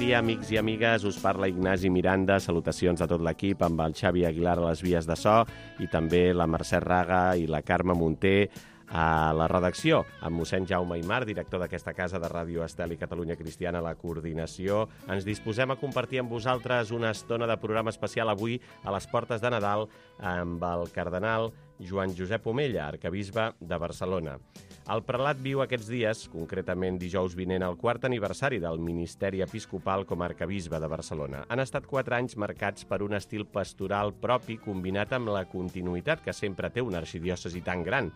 dia, amics i amigues. Us parla Ignasi Miranda. Salutacions a tot l'equip, amb el Xavi Aguilar a les vies de so i també la Mercè Raga i la Carme Munté a la redacció, amb mossèn Jaume Aymar, director d'aquesta casa de Ràdio Estel i Catalunya Cristiana, a la coordinació. Ens disposem a compartir amb vosaltres una estona de programa especial avui a les portes de Nadal amb el cardenal Joan Josep Omella, arquebisbe de Barcelona. El prelat viu aquests dies, concretament dijous vinent, el quart aniversari del ministeri episcopal com a arquebisbe de Barcelona. Han estat 4 anys marcats per un estil pastoral propi combinat amb la continuïtat que sempre té una arxidiòcesi tan gran,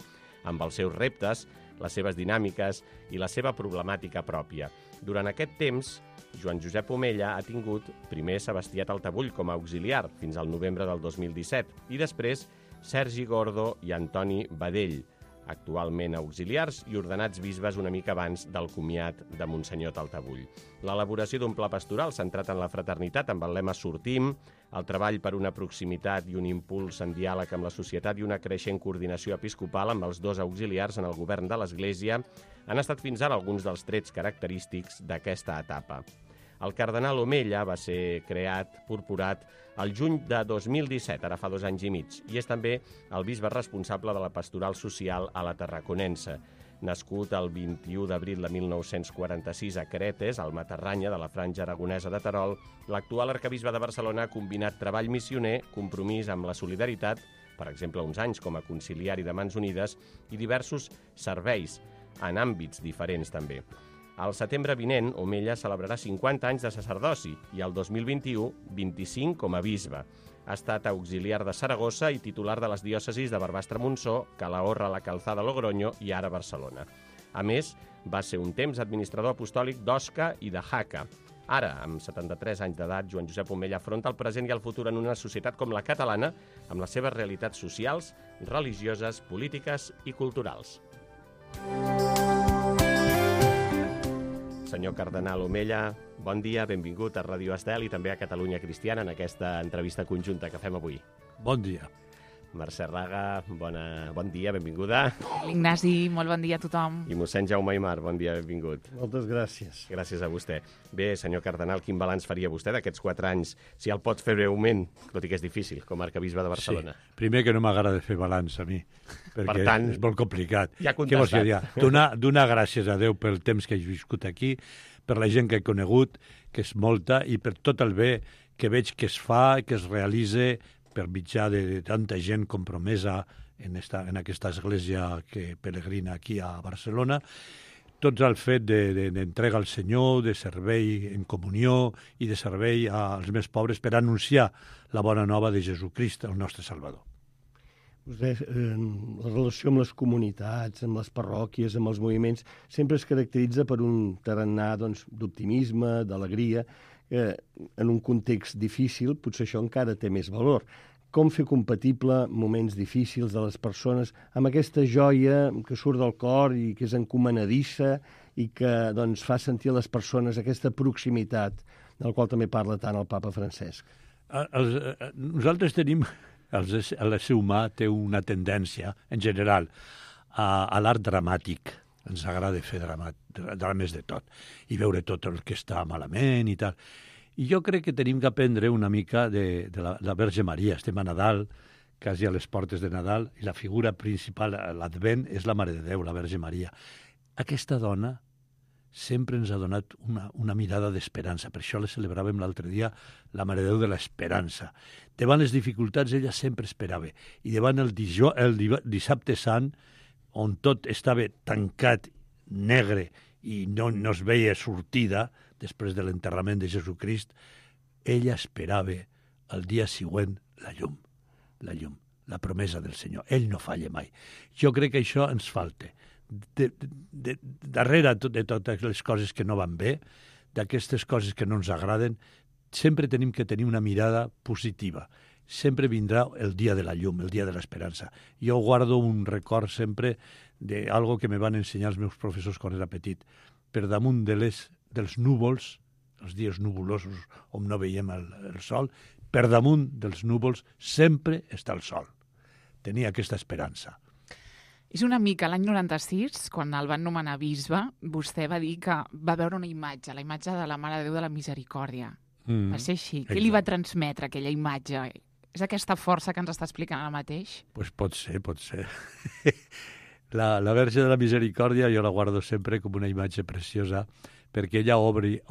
amb els seus reptes, les seves dinàmiques i la seva problemàtica pròpia. Durant aquest temps, Joan Josep Omella ha tingut primer Sebastià Taltabull com a auxiliar fins al novembre del 2017 i després Sergi Gordo i Antoni Badell, actualment auxiliars i ordenats bisbes una mica abans del comiat de Monsenyor Taltabull. L'elaboració d'un pla pastoral centrat en la fraternitat amb el lema Sortim, el treball per una proximitat i un impuls en diàleg amb la societat i una creixent coordinació episcopal amb els dos auxiliars en el govern de l'Església han estat fins ara alguns dels trets característics d'aquesta etapa. El cardenal Omella va ser creat, purpurat, el juny de 2017, ara fa 2 anys i mig, i és també el bisbe responsable de la pastoral social a la Tarraconense. Nascut el 21 d'abril de 1946 a Cretes, al Matarranya de la Franja Aragonesa de Terol, l'actual arquebisbe de Barcelona ha combinat treball missioner, compromís amb la solidaritat, per exemple, uns anys com a conciliari de Mans Unides, i diversos serveis en àmbits diferents també. Al setembre vinent, Omella celebrarà 50 anys de sacerdoci i el 2021, 25 com a bisbe. Ha estat auxiliar de Saragossa i titular de les diòcesis de Barbastre-Montsó, Calahorra, la Calzada, Logroño i ara Barcelona. A més, va ser un temps administrador apostòlic d'Osca i de Jaca. Ara, amb 73 anys d'edat, Joan Josep Omella afronta el present i el futur en una societat com la catalana, amb les seves realitats socials, religioses, polítiques i culturals. Senyor cardenal Omella, bon dia, benvingut a Ràdio Estel i també a Catalunya Cristiana en aquesta entrevista conjunta que fem avui. Bon dia. Mercè Raga, bon dia, benvinguda. Ignasi, molt bon dia a tothom. I mossèn Jaume Aymar, bon dia, benvingut. Moltes gràcies. Gràcies a vostè. Bé, senyor cardenal, quin balanç faria vostè d'aquests 4 anys? Si el pot fer breument, tot i que és difícil, com a arquebisbe de Barcelona. Sí. Primer que no m'agrada fer balanç a mi, perquè per tant, és molt complicat. Ja contestat. Donar gràcies a Déu pel temps que he viscut aquí, per la gent que he conegut, que és molta, i per tot el bé que veig que es fa, que es realitza per mitjà de tanta gent compromesa en aquesta església que peregrina aquí a Barcelona, tots el fet d'entrega al Senyor, de servei en comunió i de servei als més pobres per anunciar la bona nova de Jesucrist, el nostre Salvador. Vostè, la relació amb les comunitats, amb les parròquies, amb els moviments, sempre es caracteritza per un tarannà d'optimisme, d'alegria, en un context difícil potser això encara té més valor. Com fer compatible moments difícils de les persones amb aquesta joia que surt del cor i que és encomanadissa i que fa sentir a les persones aquesta proximitat del qual també parla tant el papa Francesc? Nosaltres tenim, l'ésser humà té una tendència, en general, a l'art dramàtic. Ens agrada fer drames de tot i veure tot el que està malament i tal. I jo crec que tenim que aprendre una mica de la Verge Maria. Estem a Nadal, quasi a les portes de Nadal, i la figura principal a l'Advent és la Mare de Déu, la Verge Maria. Aquesta dona sempre ens ha donat una mirada d'esperança. Per això la celebràvem l'altre dia, la Mare de Déu de l'Esperança. Davant les dificultats ella sempre esperava. I davant el dissabte sant, on tot estava tancat, negre, i no es veia sortida, després de l'enterrament de Jesucrist, ella esperava el dia següent la llum, la promesa del Senyor. Ell no falla mai. Jo crec que això ens falta. Darrere de totes les coses que no van bé, d'aquestes coses que no ens agraden, sempre tenim que tenir una mirada positiva. Sempre vindrà el dia de la llum, el dia de l'esperança. Jo guardo un record sempre d'algo que me van ensenyar els meus professors quan era petit. Per damunt dels núvols, els dies nuvolosos on no veiem el sol, per damunt dels núvols sempre està el sol. Tenia aquesta esperança. És una mica l'any 96, quan el van nomenar bisbe, vostè va dir que va veure una imatge, la imatge de la Mare de Déu de la Misericòrdia. Va ser així. Què li va transmetre aquella imatge? És aquesta força que ens està explicant ara mateix? Pues pot ser. La Verge de la Misericòrdia jo la guardo sempre com una imatge preciosa perquè ella obre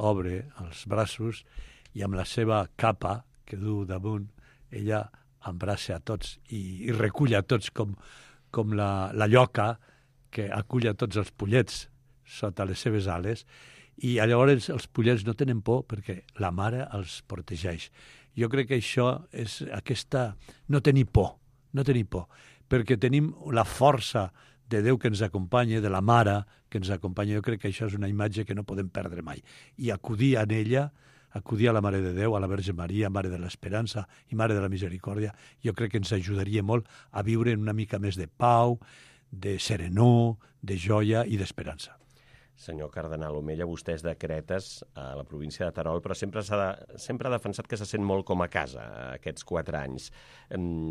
els braços i amb la seva capa que du damunt, ella embraça a tots i recull a tots com la lloca que acull a tots els pollets sota les seves ales i llavors els pollets no tenen por perquè la mare els protegeix. Jo crec que això és aquesta... no tenir por, perquè tenim la força de Déu que ens acompanya, de la mare que ens acompanya. Jo crec que això és una imatge que no podem perdre mai. I acudir a ella, acudir a la Mare de Déu, a la Verge Maria, Mare de l'Esperança i Mare de la Misericòrdia, jo crec que ens ajudaria molt a viure una mica més de pau, de serenor, de joia i d'esperança. Senyor cardenal Omella, vostè és de Cretes, a la província de Terol, però sempre ha defensat que se sent molt com a casa aquests 4 anys.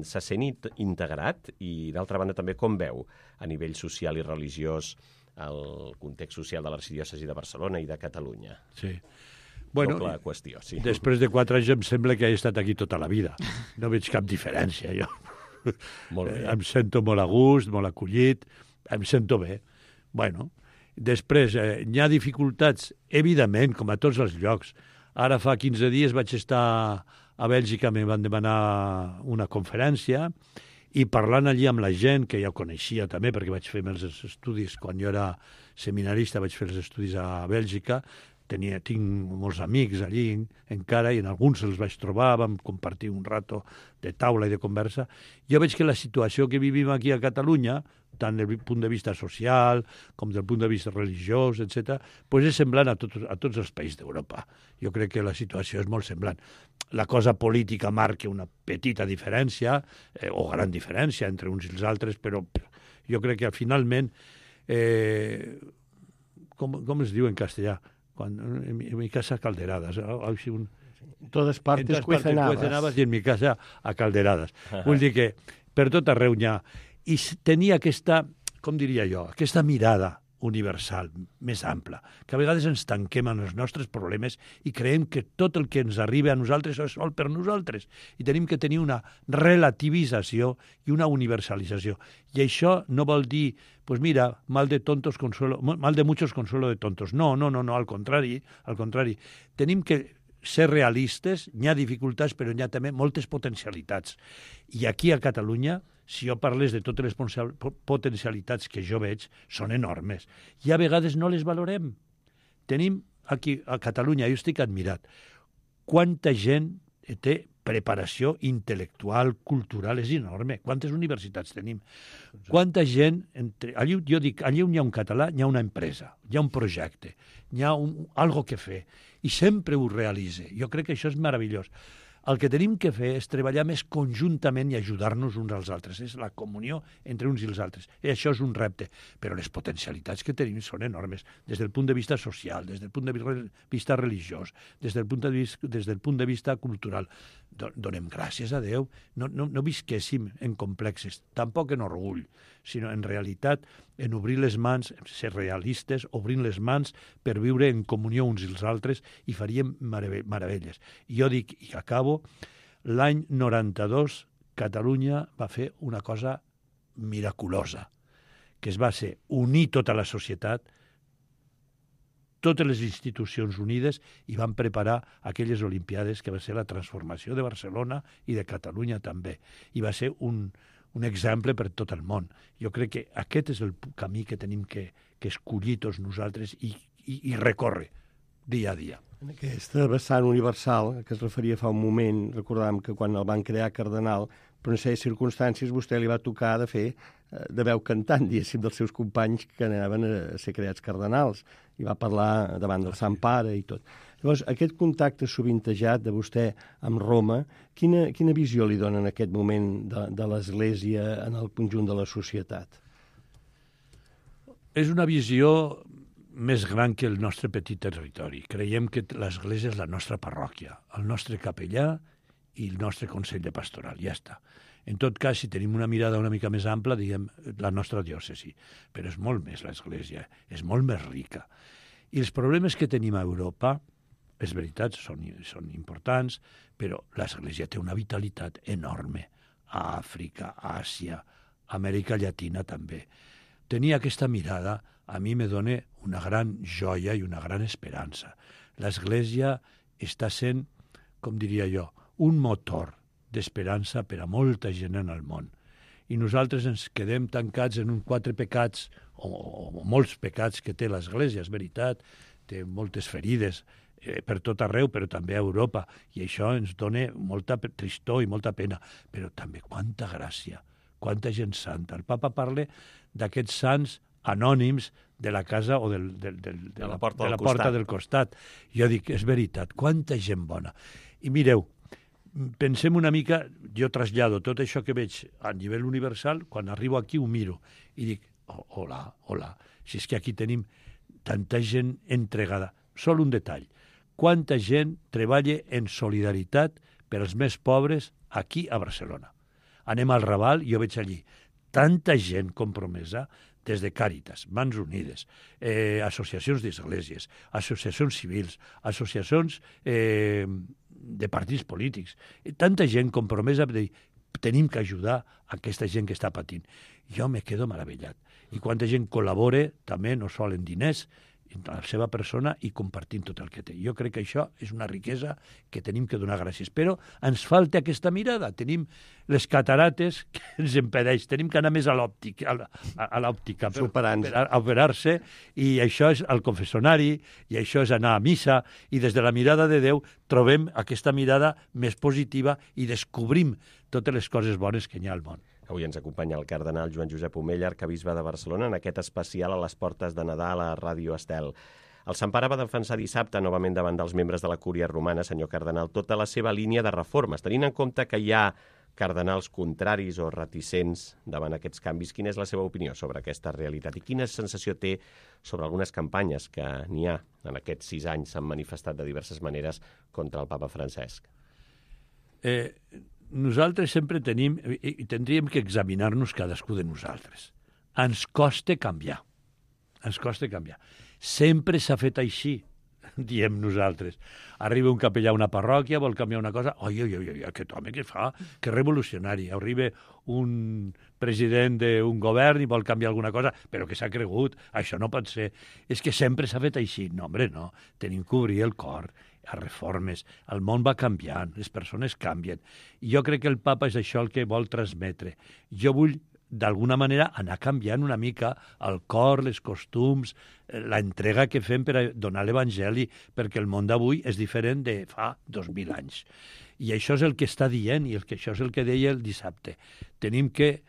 Se sent integrat i, d'altra banda, també com veu a nivell social i religiós el context social de l'arxidiòcesi de Barcelona i de Catalunya? Sí. Bueno, doble qüestió, sí. Després de 4 anys em sembla que he estat aquí tota la vida. No veig cap diferència, jo. Molt bé. Em sento molt a gust, molt acollit, em sento bé. Bueno, després, hi ha dificultats, evidentment, com a tots els llocs. Ara fa 15 dies vaig estar a Bèlgica, me van demanar una conferència i parlant allí amb la gent, que ja coneixia també, perquè vaig fer els estudis, quan jo era seminarista vaig fer els estudis a Bèlgica, tinc molts amics allí encara i en alguns els vaig trobar, vam compartir un rato de taula i de conversa. Jo veig que la situació que vivim aquí a Catalunya, tant del punt de vista social com del punt de vista religiós, etc., pues és semblant a tots els països d'Europa. Jo crec que la situació és molt semblant. La cosa política marca una petita diferència, o gran diferència entre uns i els altres, però jo crec que finalment, com es diu en castellà? En mi casa calderadas. En totes partes cuecen i en mi casa a calderadas. Vull dir que per tot arreu n'hi ha. I tenia aquesta, com diria jo, aquesta mirada universal, més ampla, que a vegades ens tanquem en els nostres problemes i creiem que tot el que ens arriba a nosaltres és sol per nosaltres. I tenim que tenir una relativització i una universalització. I això no vol dir, pues mira, mal de muchos consuelo de tontos. No, al contrari. Tenim que ser realistes, n'hi ha dificultats, però n'hi ha també moltes potencialitats. I aquí a Catalunya, si jo parles de totes les potencialitats que jo veig, són enormes. I a vegades no les valorem. Tenim aquí a Catalunya, jo estic admirat, quanta gent té preparació intel·lectual, cultural, és enorme. Quantes universitats tenim? Quanta gent... Allí, jo dic, allí on hi ha un català, hi ha una empresa, hi ha un projecte, hi ha algo que fer, i sempre ho realitza. Jo crec que això és meravellós. El que tenim que fer és treballar més conjuntament i ajudar-nos uns als altres. És la comunió entre uns i els altres. I això és un repte. Però les potencialitats que tenim són enormes, des del punt de vista social, des del punt de vista religiós, des del punt de vista cultural. Donem gràcies a Déu. No visquéssim en complexes, tampoc en orgull, sinó en realitat en obrir les mans, ser realistes, obrint les mans per viure en comunió uns i els altres i faríem meravelles. I jo dic, i acabo, l'any 92 Catalunya va fer una cosa miraculosa, que es va ser unir tota la societat, totes les institucions unides, i van preparar aquelles Olimpiades que va ser la transformació de Barcelona i de Catalunya també. I va ser un exemple per tot el món. Jo crec que aquest és el camí que tenim que escollir tots nosaltres i recórrer dia a dia. En aquesta vessant universal que es referia fa un moment, recordàvem que quan el van crear cardenal, per una sèrie de circumstàncies vostè li va tocar de veu cantant, diguéssim, dels seus companys que anaven a ser creats cardenals, i va parlar davant del Sant Pare i tot. Llavors, aquest contacte sovintejat de vostè amb Roma, quina visió li dona en aquest moment de l'Església en el conjunt de la societat? És una visió més gran que el nostre petit territori. Creiem que l'Església és la nostra parròquia, el nostre capellà i el nostre Consell de Pastoral, ja està. En tot cas, si tenim una mirada una mica més ampla, diguem la nostra diòcesi, però és molt més l'Església, és molt més rica. I els problemes que tenim a Europa, és veritat, són importants, però l'Església té una vitalitat enorme. A Àfrica, a Àsia, a Amèrica Llatina també. Tenir aquesta mirada a mi me dona una gran joia i una gran esperança. L'Església està sent, com diria jo, un motor d'esperança per a molta gent en el món. I nosaltres ens quedem tancats en 4 pecats, o molts pecats que té l'Església, és veritat, té moltes ferides per tot arreu, però també a Europa, i això ens dona molta tristor i molta pena, però també quanta gràcia, quanta gent santa. El papa parla d'aquests sants anònims de la casa o de la porta del costat. Jo dic, és veritat, quanta gent bona. I mireu, pensem una mica, jo trasllado tot això que veig a nivell universal, quan arribo aquí ho miro i dic, hola, si és que aquí tenim tanta gent entregada. Sol un detall, quanta gent treballa en solidaritat per als més pobres aquí a Barcelona. Anem al Raval i jo veig allí tanta gent compromesa, des de Càritas, Mans Unides, associacions d'esglésies, associacions civils, associacions de partits polítics, tanta gent compromesa de dir, tenim que ajudar aquesta gent que està patint. Jo me quedo meravellat. I quanta gent col·labora, també no sol en diners, en la seva persona i compartint tot el que té. Jo crec que això és una riquesa que tenim que donar gràcies. Però ens falta aquesta mirada. Tenim les catarates que ens impedeix. Tenim que anar més a l'òptica per operar-se, i això és el confessionari, i això és anar a missa, i des de la mirada de Déu trobem aquesta mirada més positiva i descobrim totes les coses bones que hi ha al món. Avui ens acompanya el cardenal Joan Josep Omella, arcabisbe de Barcelona, en aquest especial a les portes de Nadal a Ràdio Estel. El Sant Pare va defensar dissabte, novament davant dels membres de la Cúria Romana, senyor cardenal, tota la seva línia de reformes. Tenint en compte que hi ha cardenals contraris o reticents davant aquests canvis, quina és la seva opinió sobre aquesta realitat i quina sensació té sobre algunes campanyes que n'hi ha en aquests 6 anys s'han manifestat de diverses maneres contra el papa Francesc? Nosaltres sempre tenim, i tindríem que examinar-nos cadascú de nosaltres. Ens costa canviar. Ens costa canviar. Sempre s'ha fet així, diem nosaltres. Arriba un capellà a una parròquia, vol canviar una cosa, oi, aquest home què fa? Que revolucionari. Arriba un president d'un govern i vol canviar alguna cosa, però que s'ha cregut, això no pot ser. És que sempre s'ha fet així. No, home, no. Tenim que obrir el cor a reformes. El món va canviant, les persones canvien. I jo crec que el papa és això el que vol transmetre. Jo vull, d'alguna manera, anar canviant una mica el cor, les costums, la entrega que fem per a donar l'Evangeli, perquè el món d'avui és diferent de fa 2000 anys. I això és el que està dient, i això és el que deia el dissabte. Tenim que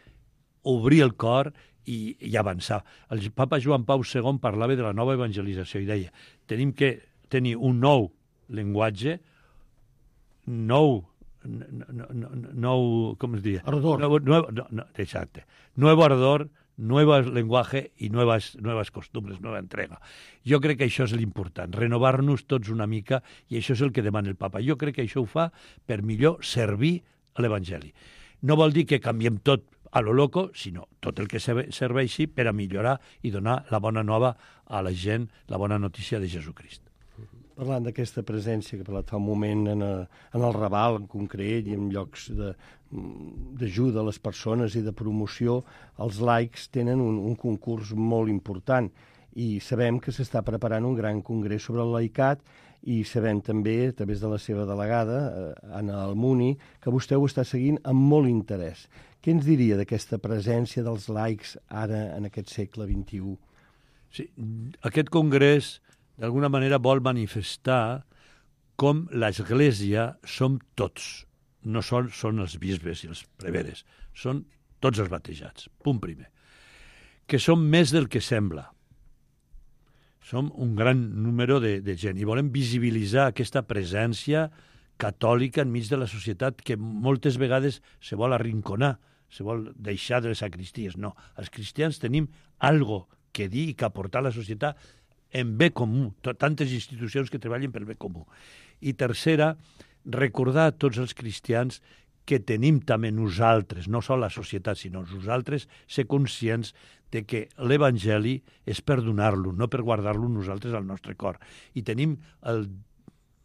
obrir el cor i avançar. El papa Joan Pau II parlava de la nova evangelització i deia, tenim que tenir un nou llenguatge, nou, com es diria? Ardor. Exacte. Nuevo ardor, nuevo lenguaje i nuevas costumbres, nueva entrega. Jo crec que això és l'important, renovar-nos tots una mica, i això és el que demana el papa. Jo crec que això ho fa per millor servir a l'Evangeli. No vol dir que canviem tot a lo loco, sinó tot el que serveixi per a millorar i donar la bona nova a la gent, la bona notícia de Jesucrist. Parlant d'aquesta presència que he parlat fa un moment en el Raval en concret i en llocs d'ajuda a les persones i de promoció, els laics tenen un concurs molt important i sabem que s'està preparant un gran congrés sobre el laicat i sabem també, a través de la seva delegada, Anna Almuni, que vostè ho està seguint amb molt interès. Què ens diria d'aquesta presència dels laics ara en aquest segle XXI? Sí, aquest congrés d'alguna manera vol manifestar com l'Església som tots. No són els bisbes i els preveres, són tots els batejats. Punt primer. Que som més del que sembla. Som un gran número de gent i volem visibilitzar aquesta presència catòlica enmig de la societat que moltes vegades se vol arrinconar, se vol deixar de les sacristies. No, els cristians tenim algo que dir i que aportar a la societat en bé comú, tantes institucions que treballen pel bé comú. I tercera, recordar a tots els cristians que tenim també nosaltres, no sols la societat, sinó nosaltres, ser conscients de que l'Evangeli és per donar-lo, no per guardar-lo nosaltres al nostre cor. I tenim el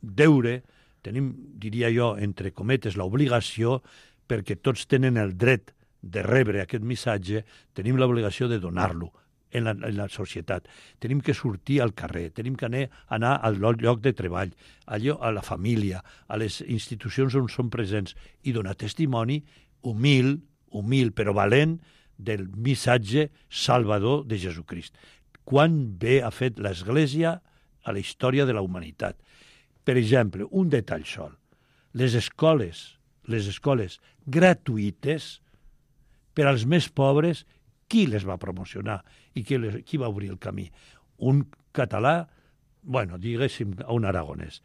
deure, tenim, diria jo, entre cometes, l'obligació, perquè tots tenen el dret de rebre aquest missatge, tenim l'obligació de donar-lo en la societat. Tenim que sortir al carrer, tenim que anar al lloc de treball, a la família, a les institucions on som presents i donar testimoni humil però valent del missatge salvador de Jesucrist. Quan bé ha fet l'Església a la història de la humanitat. Per exemple, un detall sol. Les escoles gratuïtes per als més pobres, qui les va promocionar i qui va obrir el camí? Un català, diguéssim, un aragonès.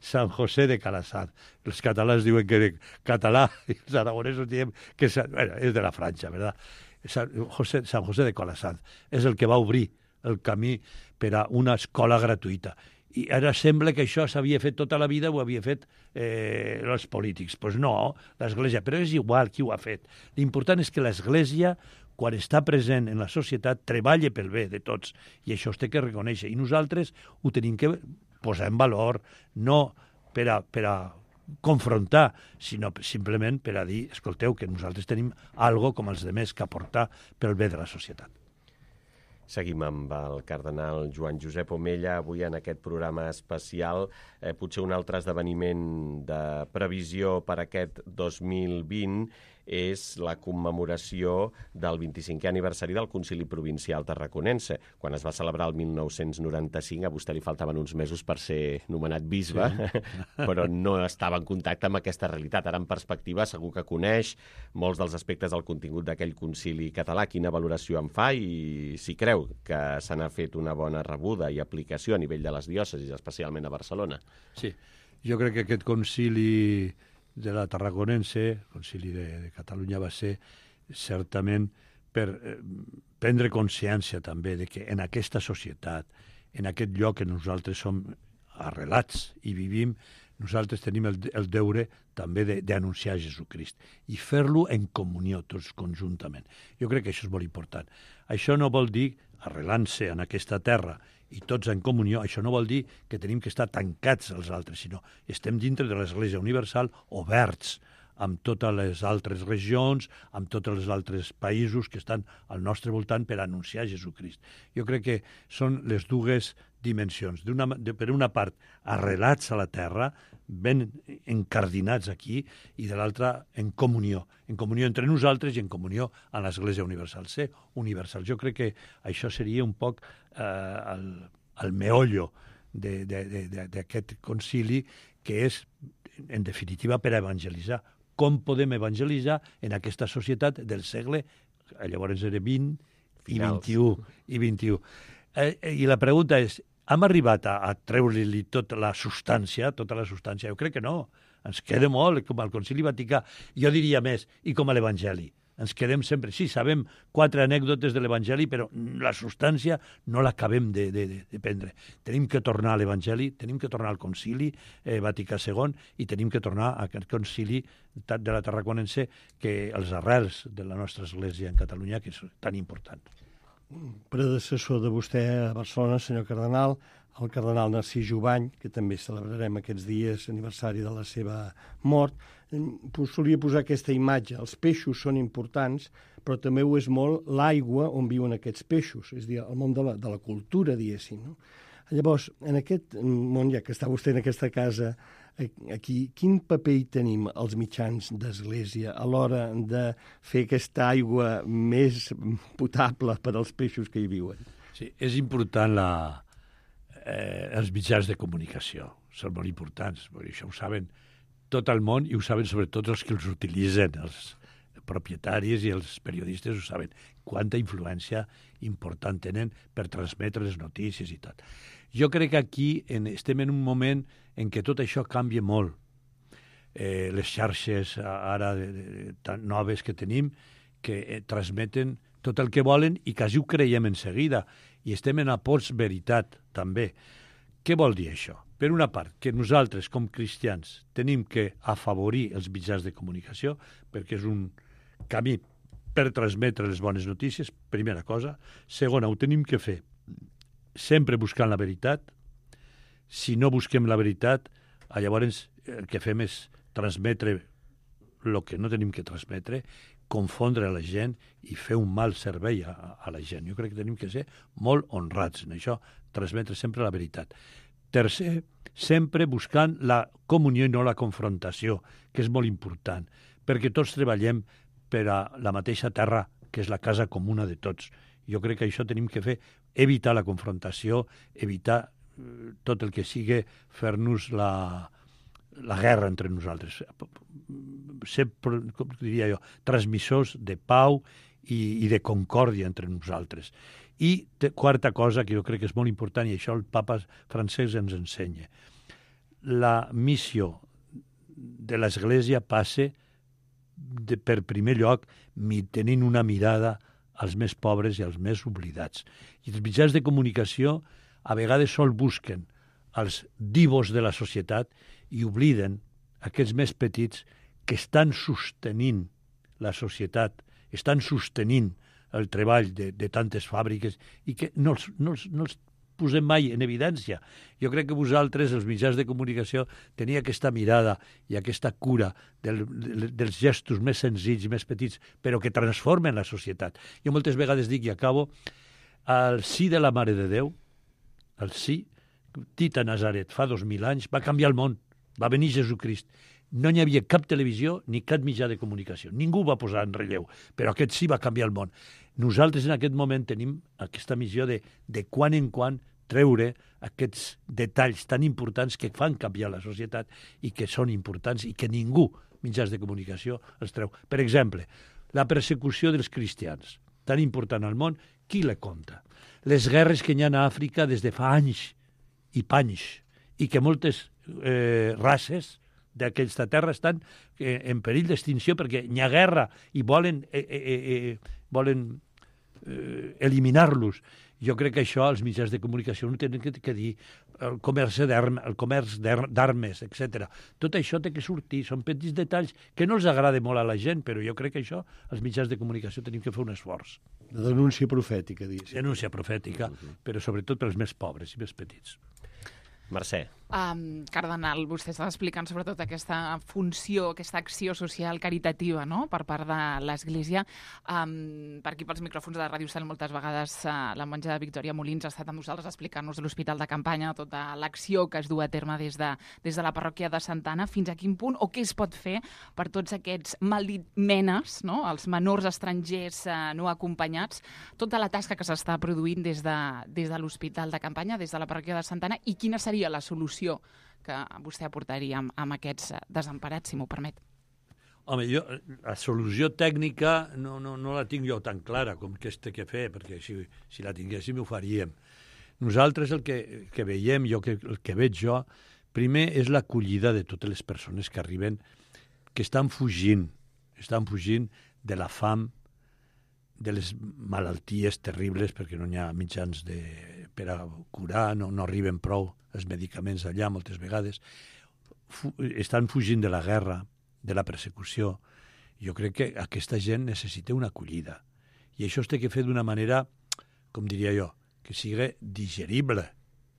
San José de Calassanç. Els catalans diuen que català i els aragonesos diem que és de la Franja, ¿verdad? San José de Calassanç és el que va obrir el camí per a una escola gratuïta. I ara sembla que això s'havia fet tota la vida, ho havia fet els polítics. Doncs no, l'Església, però és igual qui ho ha fet. L'important és que l'Església, quan està present en la societat, treballa pel bé de tots, i això es té que reconèixer. I nosaltres ho tenim que posar en valor, no per a confrontar, sinó simplement per a dir, escolteu, que nosaltres tenim algo com els demés que aportar pel bé de la societat. Seguim amb el cardenal Joan Josep Omella, avui en aquest programa especial. Potser un altre esdeveniment de previsió per aquest 2020 és la commemoració del 25è aniversari del Concili Provincial Tarraconense. Quan es va celebrar el 1995, a vostè li faltaven uns mesos per ser nomenat bisbe, sí. Però no estava en contacte amb aquesta realitat. Ara, en perspectiva, segur que coneix molts dels aspectes del contingut d'aquell concili català. Quina valoració en fa i si creu que se n'ha fet una bona rebuda i aplicació a nivell de les diòcesis, especialment a Barcelona? Sí, jo crec que aquest concili de la Tarraconense, el concili de Catalunya, va ser certament per prendre consciència també de que en aquesta societat, en aquest lloc que nosaltres som arrelats i vivim, nosaltres tenim el deure també d'anunciar Jesucrist i fer-lo en comunió tots conjuntament. Jo crec que això és molt important. Això no vol dir, arrelant-se en aquesta terra i tots en comunió, això no vol dir que tenim que estar tancats als altres, sinó estem dintre de l'Església Universal oberts amb totes les altres regions, amb tots els altres països que estan al nostre voltant per anunciar Jesucrist. Jo crec que són les dues dimensions. Per una part, arrelats a la terra, ben encardinats aquí, i de l'altra, en comunió entre nosaltres i en comunió amb l'Església Universal. Ser universal. Jo crec que això seria un poc el meollo d'aquest concili, que és, en definitiva, per a evangelitzar. Com podem evangelitzar en aquesta societat del segle, llavors era 20 i 21. I la pregunta és, hem arribat a treure-li tota la substància? Jo crec que no. Ens queda molt, com al Concili Vaticà. Jo diria més, i com a l'Evangeli. Ens quedem sempre... Sí, sabem 4 anècdotes de l'Evangeli, però la substància no l'acabem de prendre. Tenim que tornar a l'Evangeli, tenim que tornar al Concili Vaticà II i tenim que tornar a aquest Concili de la Tarraconense, que els arrels de la nostra Església en Catalunya, que és tan important. Predecessor de vostè a Barcelona, senyor cardenal, el cardenal Narcís Jubany, que també celebrarem aquests dies aniversari de la seva mort, solia posar aquesta imatge. Els peixos són importants, però també ho és molt l'aigua on viuen aquests peixos, és a dir, el món de la cultura, diguéssim. No? Llavors, en aquest món, ja que està vostè en aquesta casa, aquí, quin paper hi tenim els mitjans d'església a l'hora de fer aquesta aigua més potable per als peixos que hi viuen? Sí, és important els mitjans de comunicació. Són molt importants, perquè això ho saben tot el món i ho saben sobretot els que els utilitzen, els propietaris i els periodistes ho saben, quanta influència important tenen per transmetre les notícies i tot. Jo crec que aquí estem en un moment en què tot això canvia molt. Les xarxes ara tan noves que tenim, que transmeten tot el que volen i quasi ho creiem en seguida. I estem en la postveritat, també. Què vol dir això? Per una part, que nosaltres, com cristians, tenim que afavorir els mitjans de comunicació, perquè és un camí per transmetre les bones notícies, primera cosa. Segona, ho tenim que fer sempre buscant la veritat. Si no busquem la veritat, llavors el que fem és transmetre el que no tenim que transmetre, confondre la gent i fer un mal servei a la gent. Jo crec que tenim que ser molt honrats en això, transmetre sempre la veritat. Tercer, sempre buscant la comunió i no la confrontació, que és molt important, perquè tots treballem per a la mateixa terra, que és la casa comuna de tots. Jo crec que això tenim que fer, evitar la confrontació, evitar tot el que sigui fer-nos la guerra entre nosaltres. Ser, com diria jo, transmissors de pau i de concòrdia entre nosaltres. I quarta cosa, que jo crec que és molt important, i això el papa francès ens ensenya. La missió de l'Església passa per primer lloc tenint una mirada als més pobres i als més oblidats. I els mitjans de comunicació a vegades sol busquen els divos de la societat i obliden aquests més petits que estan sostenint la societat, estan sostenint el treball de tantes fàbriques i que no els posem mai en evidència. Jo crec que vosaltres, els mitjans de comunicació, teniu aquesta mirada i aquesta cura dels gestos més senzills i més petits, però que transformen la societat. Jo moltes vegades dic, i acabo, el sí de la Mare de Déu, el sí, dit a Nazaret fa 2000 anys, va canviar el món, va venir Jesucrist. No hi havia cap televisió ni cap mitjà de comunicació. Ningú va posar en relleu, però aquest sí va canviar el món. Nosaltres en aquest moment tenim aquesta missió de quan en quan treure aquests detalls tan importants que fan canviar la societat i que són importants i que ningú, mitjans de comunicació, els treu. Per exemple, la persecució dels cristians, tan important al món, qui la compta? Les guerres que hi ha a Àfrica des de fa anys i panys, i que moltes races d'aquesta terra estan en perill d'extinció perquè hi ha guerra i volen eliminar-los. Jo crec que això els mitjans de comunicació no tenen que dir el comerç d'armes, etc. Tot això té que sortir, són petits detalls que no els agrada molt a la gent, però jo crec que això els mitjans de comunicació tenim que fer un esforç. La denúncia profètica, diguéssim. Denúncia profètica, però sobretot pels més pobres i més petits. Mercè. Cardenal, vostè estava explicant sobretot aquesta funció, aquesta acció social caritativa, no?, per part de l'Església. Per aquí, pels micròfons de Ràdio Cel, moltes vegades la monja Victòria Molins ha estat amb nosaltres explicant-nos de l'Hospital de Campanya, tota l'acció que es du a terme des de la parròquia de Santa Anna, fins a quin punt, o què es pot fer per tots aquests maldit menes, no?, els menors estrangers no acompanyats, tota la tasca que s'està produint des de l'Hospital de Campanya, des de la parròquia de Santa Anna, i quina seria la solució que vostè aportaria amb aquests desemparats, si m'ho permet? Home, jo la solució tècnica no la tinc jo tan clara com que té que fer, perquè si la tinguéssim ho faríem. Nosaltres el que veiem, el que veig jo, primer és l'acollida de totes les persones que arriben, que estan fugint de la fam, de les malalties terribles, perquè no hi ha mitjans per a curar, no arriben prou els medicaments allà moltes vegades, estan fugint de la guerra, de la persecució. Jo crec que aquesta gent necessita una acollida. I això es té que fer d'una manera, com diria jo, que sigui digerible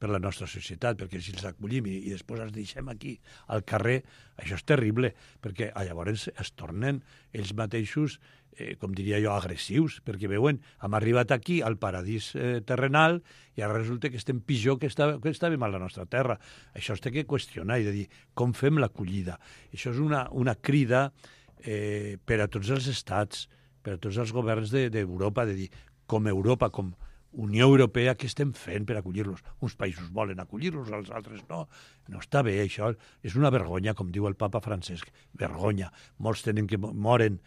per la nostra societat, perquè si els acollim i després els deixem aquí al carrer, això és terrible, perquè llavors es tornen ells mateixos, com diria jo, agressius, perquè veuen, hem arribat aquí al paradís terrenal i ara resulta que estem pitjor que estàvem a la nostra terra. Això es té que qüestionar i de dir com fem l'acollida. Això és una crida per a tots els estats, per a tots els governs d'Europa, de dir, com Europa, com Unió Europea, què estem fent per acollir-los? Uns països volen acollir-los, els altres no. No està bé, això. És una vergonya, com diu el papa Francesc. Vergonya. Molts tenen que moren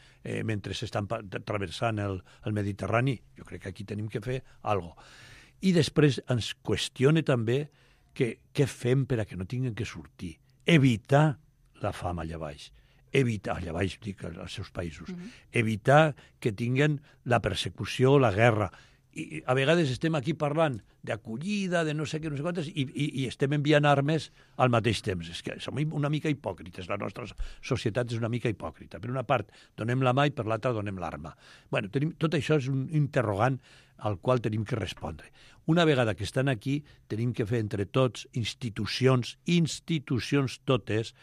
mentre s'estan travessant el Mediterrani. Jo crec que aquí tenim que fer alguna cosa. I després ens qüestiona també què fem per a que no tinguin que sortir. Evitar la fam allà baix. Allà baix, dic, als seus països. Evitar que tinguen la persecució, la guerra. I a vegades estem aquí parlant d'acollida, de no sé què, no sé quantes, i estem enviant armes al mateix temps. És que som una mica hipòcrites, la nostra societat és una mica hipòcrita. Per una part donem la mà i per l'altra donem l'arma. Bueno, tot això és un interrogant al qual tenim que respondre. Una vegada que estan aquí, tenim que fer entre tots, institucions totes,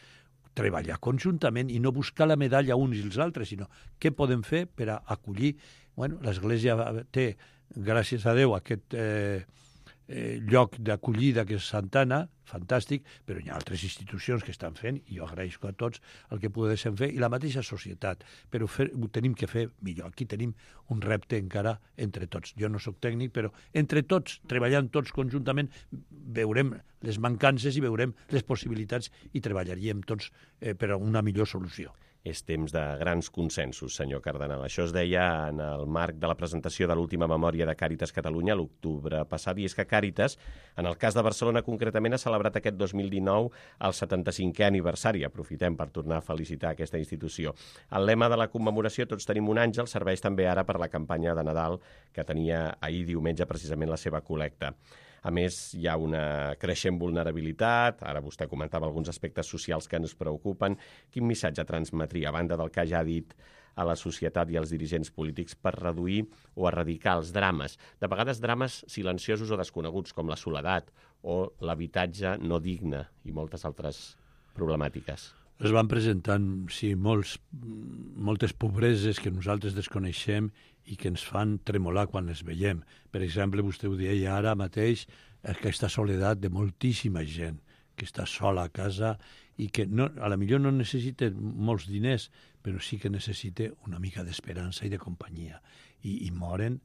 treballar conjuntament i no buscar la medalla uns i els altres, sinó què podem fer per a acollir. Bueno, l'Església té, gràcies a Déu, aquest lloc d'acollida que és Santana, fantàstic, però hi ha altres institucions que estan fent, i jo agraeixo a tots el que poguéssim fer, i la mateixa societat, però ho tenim que fer millor. Aquí tenim un repte encara entre tots. Jo no sóc tècnic, però entre tots, treballant tots conjuntament, veurem les mancances i veurem les possibilitats i treballaríem tots per a una millor solució. És temps de grans consensos, senyor Cardenal. Això es deia en el marc de la presentació de l'última memòria de Càritas Catalunya l'octubre passat, i és que Càritas, en el cas de Barcelona concretament, ha celebrat aquest 2019 el 75è aniversari. Aprofitem per tornar a felicitar aquesta institució. El lema de la commemoració, Tots tenim un àngel, serveix també ara per la campanya de Nadal que tenia ahir diumenge precisament la seva col·lecta. A més, hi ha una creixent vulnerabilitat, ara vostè comentava alguns aspectes socials que ens preocupen. Quin missatge transmetria, a banda del que ja ha dit a la societat i als dirigents polítics, per reduir o erradicar els drames? De vegades drames silenciosos o desconeguts, com la soledat o l'habitatge no digne i moltes altres problemàtiques. Es van presentant, sí, moltes pobreses que nosaltres desconeixem i que ens fan tremolar quan les veiem. Per exemple, vostè ho deia ara mateix, aquesta soledat de moltíssima gent que està sola a casa i que a la millor no necessita molts diners, però sí que necessita una mica d'esperança i de companyia. I moren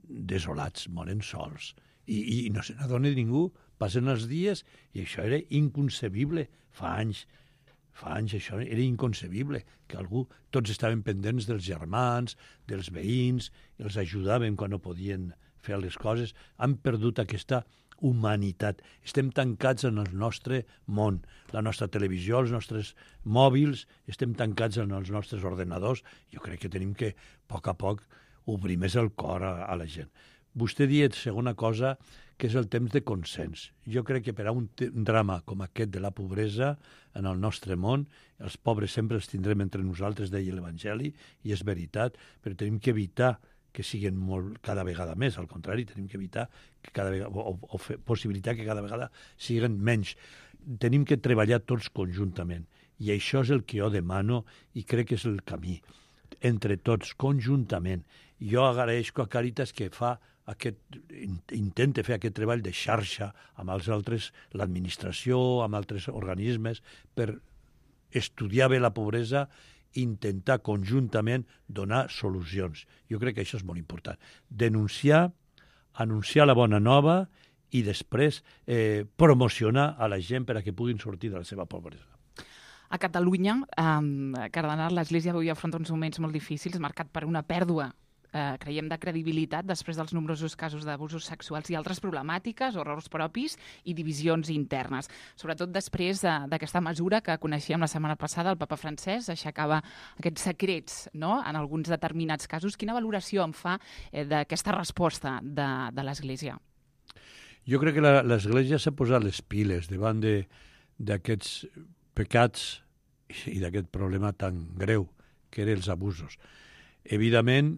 desolats, moren sols. I no se n'adona ningú. Passen els dies i això era inconcebible fa anys. Fa anys això era inconcebible, que tots estaven pendents dels germans, dels veïns, els ajudaven quan no podien fer les coses. Han perdut aquesta humanitat. Estem tancats en el nostre món, la nostra televisió, els nostres mòbils, estem tancats en els nostres ordenadors. Jo crec que tenim que, a poc, obrir més el cor a la gent. Vostè diu, segona cosa, que és el temps de consens. Jo crec que per a un drama com aquest de la pobresa en el nostre món, els pobres sempre els tindrem entre nosaltres, deia l'Evangeli, i és veritat, però tenim que evitar que siguin cada vegada més. Al contrari, tenim que evitar que cada vegada, o possibilitar que cada vegada siguin menys. Tenim que treballar tots conjuntament. I això és el que jo demano i crec que és el camí. Entre tots, conjuntament. Jo agraeixo a Càritas que intenta fer aquest treball de xarxa amb els altres, l'administració, amb altres organismes, per estudiar bé la pobresa i intentar conjuntament donar solucions. Jo crec que això és molt important. Denunciar, anunciar la bona nova i després promocionar a la gent per a que puguin sortir de la seva pobresa. A Catalunya, Cardenal, l'Església avui afronta uns moments molt difícils, marcat per una pèrdua, creiem, de credibilitat després dels nombrosos casos d'abusos sexuals i altres problemàtiques, errors propis i divisions internes. Sobretot després d'aquesta mesura que coneixíem la setmana passada, el papa Francesc aixecava aquests secrets, no?, en alguns determinats casos. Quina valoració en fa d'aquesta resposta de l'Església? Jo crec que l'Església s'ha posat les piles davant d'aquests pecats i d'aquest problema tan greu que eren els abusos. Evidentment,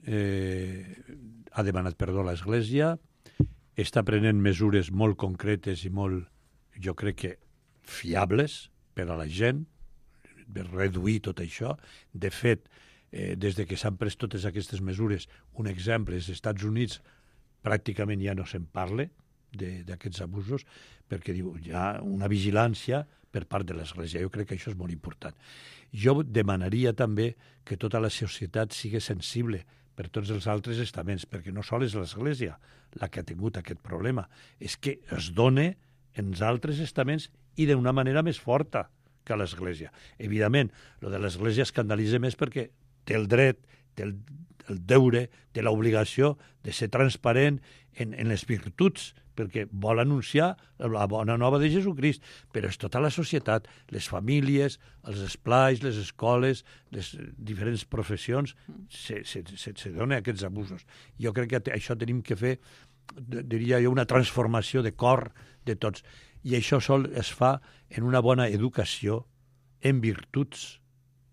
ha demanat perdó a l'Església, està prenent mesures molt concretes i molt, jo crec que, fiables per a la gent, per reduir tot això. De fet, des que s'han pres totes aquestes mesures, un exemple, als Estats Units pràcticament ja no se'n parla d'aquests abusos, perquè diu, hi ha una vigilància per part de l'Església. Jo crec que això és molt important. Jo demanaria també que tota la societat sigui sensible per tots els altres estaments, perquè no sols és l'Església la que ha tingut aquest problema, és que es dona en els altres estaments i d'una manera més forta que a l'Església. Evidentment, el de l'Església escandalitza més perquè té el dret, té el deure, té l'obligació de ser transparent en les virtuts perquè vol anunciar la bona nova de Jesucrist, però és tota la societat, les famílies, els esplais, les escoles, les diferents professions, se donen aquests abusos. Jo crec que això tenim que fer, diria jo, una transformació de cor de tots. I això sol es fa en una bona educació, en virtuts,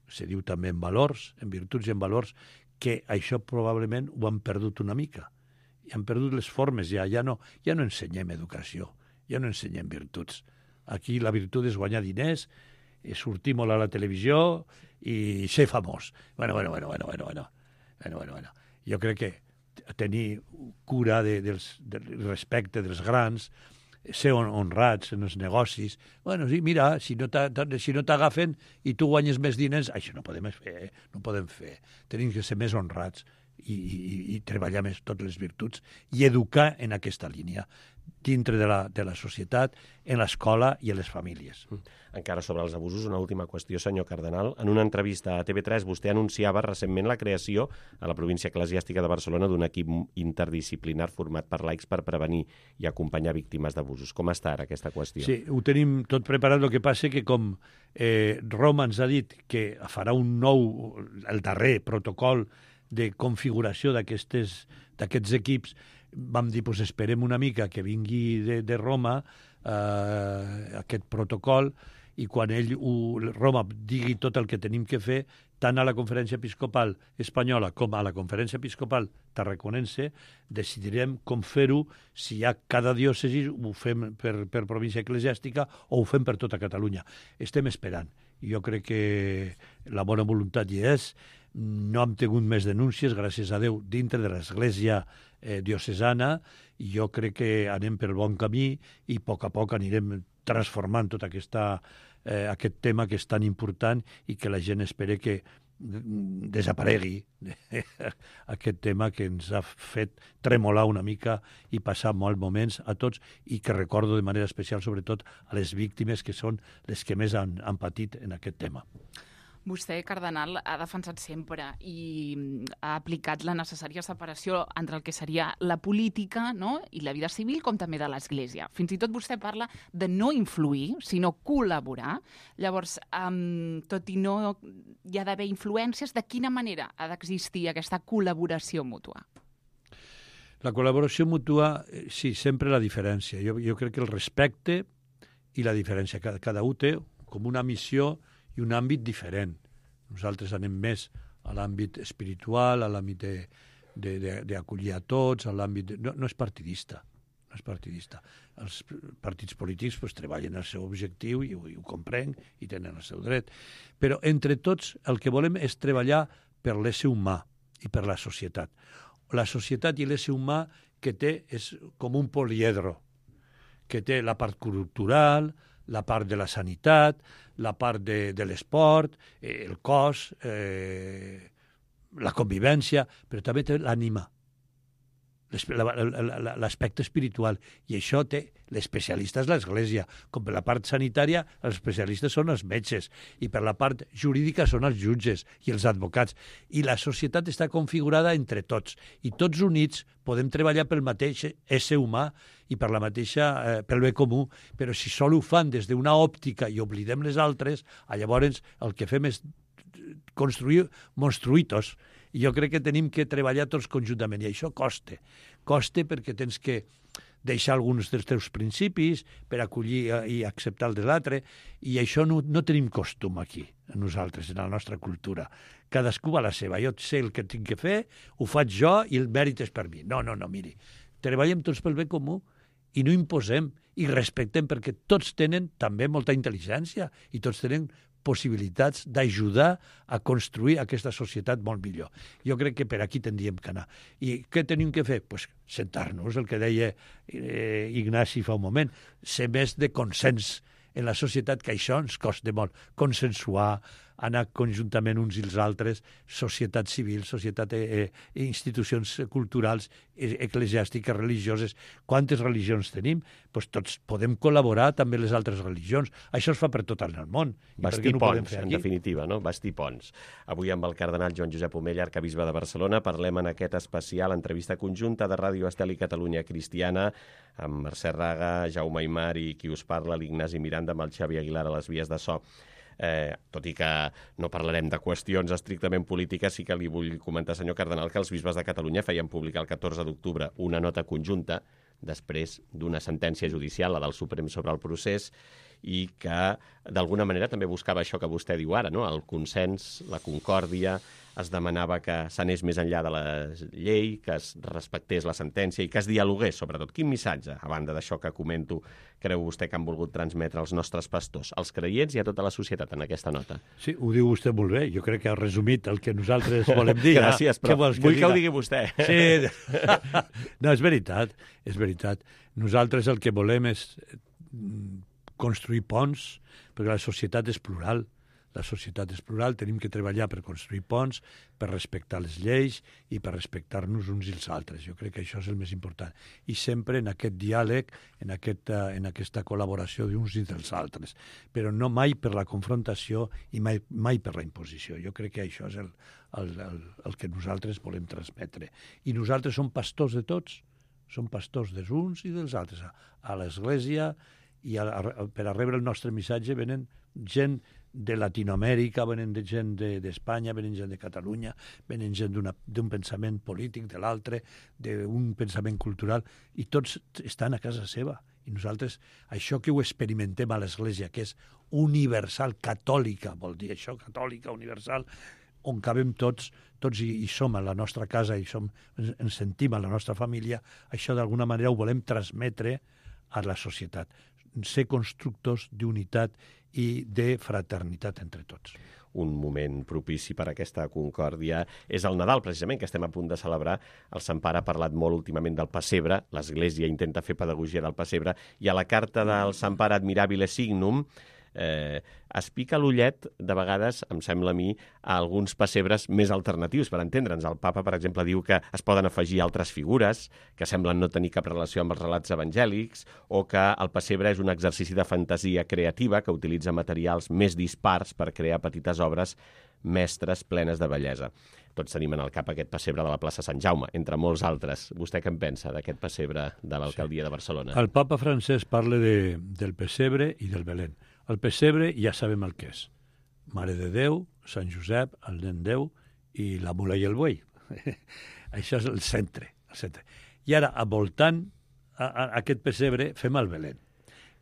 se diu també en valors, en virtuts i en valors, que això probablement ho han perdut una mica. I han perdut les formes, ja no ensenyem educació, ja no ensenyem virtuts. Aquí la virtut és guanyar diners, sortir molt a la televisió i ser famós. Bueno. Jo crec que tenir cura del respecte dels grans, ser honrats en els negocis. Bueno, sí, mira, si no t'agafen i tu guanyes més diners, això no podem fer. Tenim que ser més honrats i treballar més totes les virtuts i educar en aquesta línia dintre de la societat, en l'escola i en les famílies. Encara sobre els abusos, una última qüestió, senyor cardenal. En una entrevista a TV3 vostè anunciava recentment la creació a la província eclesiàstica de Barcelona d'un equip interdisciplinar format per laics per prevenir i acompanyar víctimes d'abusos. Com està ara aquesta qüestió? Sí, ho tenim tot preparat, el que passa que com Roma ens ha dit que farà el darrer protocol de configuració d'aquests equips, vam dir, doncs esperem una mica que vingui de Roma aquest protocol i quan Roma digui tot el que tenim que fer, tant a la Conferència Episcopal Espanyola com a la Conferència Episcopal Tarraconense, decidirem com fer-ho, si hi ha cada diòcesi, ho fem per província eclesiàstica o ho fem per tota Catalunya. Estem esperant. Jo crec que la bona voluntat hi és. No hem tingut més denúncies, gràcies a Déu, dintre de l'Església diocesana, i jo crec que anem pel bon camí i a poc anirem transformant tot aquest tema que és tan important i que la gent espera que desaparegui aquest tema que ens ha fet tremolar una mica i passar molts moments a tots i que recordo de manera especial sobretot a les víctimes que són les que més han patit en aquest tema. Vostè, cardenal, ha defensat sempre i ha aplicat la necessària separació entre el que seria la política, no?, i la vida civil, com també de l'Església. Fins i tot vostè parla de no influir, sinó col·laborar. Llavors, tot i no hi ha d'haver influències, de quina manera ha d'existir aquesta col·laboració mútua? La col·laboració mútua, sí, sempre la diferència. Jo crec que el respecte i la diferència. Cada un té com una missió i un àmbit diferent. Nosaltres anem més a l'àmbit espiritual, a l'àmbit d'acollir a tots, a l'àmbit... No és partidista. No és partidista. Els partits polítics treballen el seu objectiu i ho comprenc i tenen el seu dret. Però entre tots el que volem és treballar per l'ésser humà i per la societat. La societat i l'ésser humà que té és com un poliedro, que té la part cultural, la part de la sanitat, la part de l'esport, el cos, la convivència, però també té l'ànima, l'aspecte espiritual. I això té l'especialista és l'Església. Com per la part sanitària, els especialistes són els metges, i per la part jurídica són els jutges i els advocats. I la societat està configurada entre tots, i tots units podem treballar pel mateix ésser humà i pel bé comú, però si sol ho fan des d'una òptica i oblidem les altres, llavors el que fem és construir monstruïtos. I jo crec que tenim que treballar tots conjuntament, i això costa. Costa perquè tens que deixar alguns dels teus principis per acollir i acceptar el de l'altre, i això no tenim costum aquí, nosaltres, en la nostra cultura. Cadascú va a la seva. Jo sé el que tinc que fer, ho faig jo i el mèrit és per mi. No, miri. Treballem tots pel bé comú i no imposem i respectem, perquè tots tenen també molta intel·ligència i tots tenen possibilitats d'ajudar a construir aquesta societat molt millor. Jo crec que per aquí tindríem que anar. I què tenim que fer? Pues sentar-nos, el que deia Ignasi fa un moment, ser més de consens en la societat, que això ens costa molt. Consensuar, anar conjuntament uns i els altres, societat civil, institucions culturals, eclesiàstiques, religioses. Quantes religions tenim? Doncs tots podem col·laborar també les altres religions. Això es fa per tot el món. Bastir ponts, en definitiva, no? Bastir ponts. Avui amb el cardenal Joan Josep Omella, arcabisbe de Barcelona, parlem en aquest especial entrevista conjunta de Ràdio Estel i Catalunya Cristiana amb Mercè Raga, Jaume Aymar i qui us parla, l'Ignasi Miranda, amb el Xavi Aguilar a les vies de so. Tot i que no parlarem de qüestions estrictament polítiques, sí que li vull comentar, senyor cardenal, que els bisbes de Catalunya feien publicar el 14 d'octubre una nota conjunta després d'una sentència judicial, la del Suprem sobre el procés, i que d'alguna manera també buscava això que vostè diu ara, no? El consens, la concòrdia, es demanava que s'anés més enllà de la llei, que es respectés la sentència i que es dialogués, sobretot. Quin missatge, a banda d'això que comento, creu vostè que han volgut transmetre els nostres pastors, als creients i a tota la societat en aquesta nota? Sí, ho diu vostè molt bé. Jo crec que ha resumit el que nosaltres volem dir. Gràcies, però vull que ho digui vostè. Sí. No, és veritat, és veritat. Nosaltres el que volem és construir ponts, perquè la societat és plural. La societat és plural, tenim que treballar per construir ponts, per respectar les lleis i per respectar-nos uns i els altres. Jo crec que això és el més important. I sempre en aquest diàleg, en aquesta col·laboració d'uns i dels altres. Però no mai per la confrontació i mai per la imposició. Jo crec que això és el que nosaltres volem transmetre. I nosaltres som pastors de tots. Som pastors dels uns i dels altres. A l'Església, i per a rebre el nostre missatge venen gent de Latinoamèrica, venen gent d'Espanya, venen gent de Catalunya, venen gent d'un pensament polític, de l'altre, d'un pensament cultural, i tots estan a casa seva. I nosaltres, això que ho experimentem a l'Església, que és universal, catòlica, vol dir això, catòlica, universal, on cabem tots i som a la nostra casa i ens sentim a la nostra família, això d'alguna manera ho volem transmetre a la societat. Ser constructors d'unitat i de fraternitat entre tots. Un moment propici per a aquesta concòrdia és el Nadal, precisament, que estem a punt de celebrar. El Sant Pare ha parlat molt últimament del pessebre, l'Església intenta fer pedagogia del pessebre, i a la carta del Sant Pare Admirabile Signum es pica l'ullet, de vegades, em sembla a mi, a alguns pessebres més alternatius, per entendre'ns. El papa, per exemple, diu que es poden afegir altres figures que semblen no tenir cap relació amb els relats evangèlics, o que el pessebre és un exercici de fantasia creativa que utilitza materials més dispars per crear petites obres mestres plenes de bellesa. Tots tenim en el cap aquest pessebre de la plaça Sant Jaume, entre molts altres. Vostè què en pensa d'aquest pessebre de l'alcaldia de Barcelona? El papa francès parla del pessebre i del Belén. El pessebre ja sabem el que és. Mare de Déu, Sant Josep, el nen Déu i la mula i el buey. Això és el centre. I ara, voltant aquest pessebre, fem el Belén.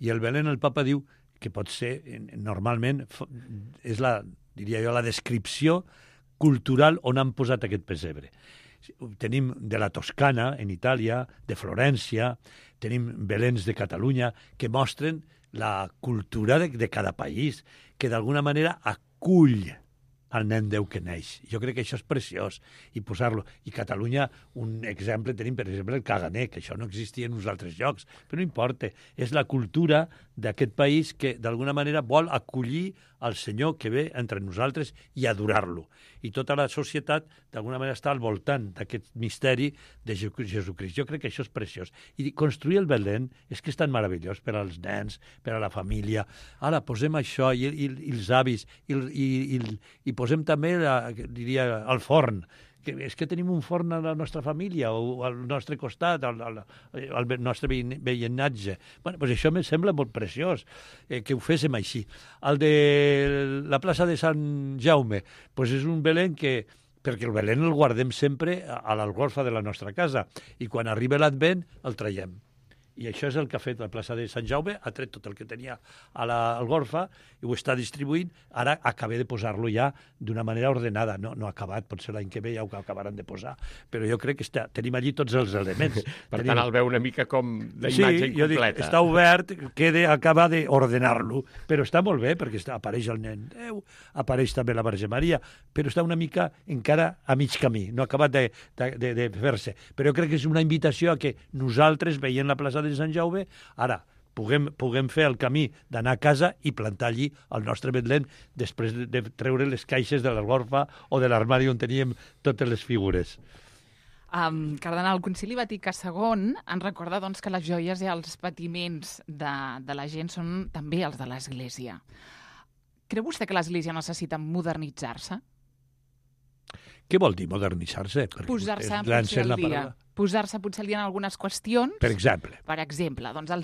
I el Belén, el papa diu que pot ser, normalment, és diria jo, la descripció cultural on han posat aquest pessebre. Tenim de la Toscana, en Itàlia, de Florència, tenim Beléns de Catalunya, que mostren la cultura de cada país, que d'alguna manera acull al nen Déu que neix. Jo crec que això és preciós, i posar-lo. I Catalunya, un exemple, tenim, per exemple, el caganer, que això no existia en uns altres llocs, però no importa. És la cultura d'aquest país que, d'alguna manera, vol acollir el Senyor que ve entre nosaltres i adorar-lo. I tota la societat, d'alguna manera, està al voltant d'aquest misteri de Jesucrist. Jo crec que això és preciós. I construir el Belén és que és tan meravellós per als nens, per a la família. Ara, posem això i els avis, i posem també, diria, el forn. És que tenim un forn a la nostra família o al nostre costat, al nostre veïnatge. Bueno, doncs això em sembla molt preciós, que ho féssim així. El de la plaça de Sant Jaume, doncs és un Belén perquè el Belén el guardem sempre a l'algorfa de la nostra casa, i quan arriba l'Advent el traiem. I això és el que ha fet la plaça de Sant Jaume, ha tret tot el que tenia a l'algorfa i ho està distribuint. Ara acabé de posar-lo ja d'una manera ordenada. No ha acabat, potser l'any que ve ja ho acabaran de posar, però jo crec que tenim allí tots els elements. Per tant, el veu una mica com la imatge incompleta. Jo dic, està obert, acaba d'ordenar-lo, però està molt bé, perquè apareix el nen Déu, apareix també la Verge Maria, però està una mica encara a mig camí, no ha acabat de fer-se. Però jo crec que és una invitació a que nosaltres, veient la plaça de Sant Jaume, ara puguem fer el camí d'anar a casa i plantar allí el nostre Betlem després de treure les caixes de l'orfa o de l'armari on teníem totes les figures. Cardenal, el Concili Vaticà II ens recorda doncs, que les joies i els patiments de la gent són també els de l'Església. Creu vostè que l'Església necessita modernitzar-se? Què vol dir modernitzar-se? Posar-se potser al dia. Posar-se potser al dia en algunes qüestions. Per exemple, doncs el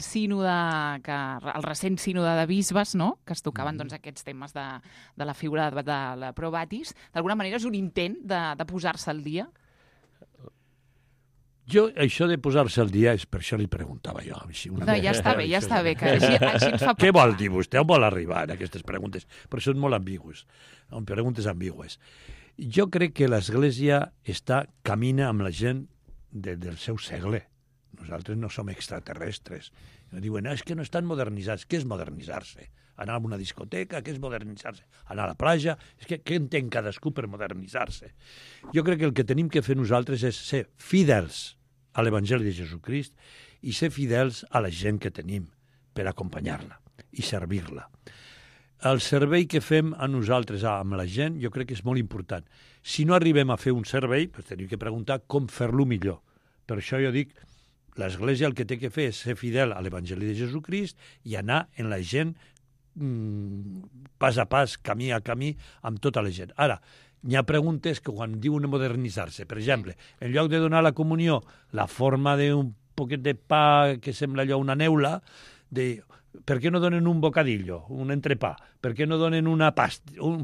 recent sínode de bisbes, no?, que es tocaven doncs, aquests temes de la figura de la Pro Batis, d'alguna manera és un intent de posar-se al dia? Això de posar-se al dia, és per això li preguntava jo. No, ja està bé, que així ens fa... Què vol dir vostè? On vol arribar en aquestes preguntes? Però són molt ambigües, preguntes ambigües. Jo crec que l'Església camina amb la gent del seu segle. Nosaltres no som extraterrestres. Diuen, és que no estan modernitzats. Què és modernitzar-se? Anar a una discoteca, què és modernitzar-se? Anar a la platja? És que què entén cadascú per modernitzar-se? Jo crec que el que tenim que fer nosaltres és ser fidels a l'Evangeli de Jesucrist i ser fidels a la gent que tenim per acompanyar-la i servir-la. El servei que fem a nosaltres amb la gent jo crec que és molt important. Si no arribem a fer un servei, doncs tenim que preguntar com fer-lo millor. Per això jo dic, l'Església el que té que fer és ser fidel a l'Evangeli de Jesucrist i anar en la gent pas a pas, camí a camí, amb tota la gent. Ara, hi ha preguntes que quan diuen modernitzar-se, per exemple, en lloc de donar la comunió la forma d'un poquet de pa que sembla allò una neula, per què no donen un bocadillo, un entrepà? Per què no donen un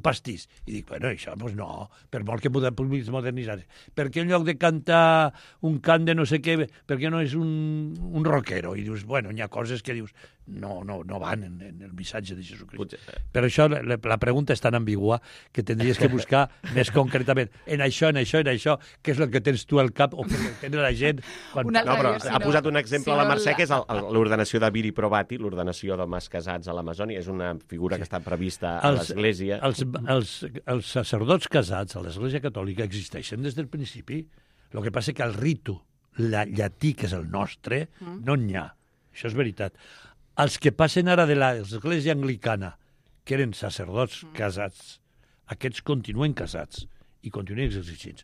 pastís? I dic, bueno, això, doncs no, per molt que puguis modernitzar-se. Per què en lloc de cantar un cant de no sé què, per què no és un rockero? I dius, bueno, hi ha coses que dius, no van en el missatge de Jesucrist. Per això la pregunta és tan ambigua que tindries que buscar més concretament en això, què és el que tens tu al cap o què tens la gent. Però ha posat un exemple a la Mercè, que és l'ordenació de Viri Probati, l'ordenació d'homes casats a l'Amazònia. És una figura que està prevista a l'Església. Els sacerdots casats a l'Església Catòlica existeixen des del principi. El que passa que el ritu llatí, que és el nostre, no n'hi ha. Això és veritat. Els que passen ara de l'Església Anglicana, que eren sacerdots casats, aquests continuen casats i continuen exercint.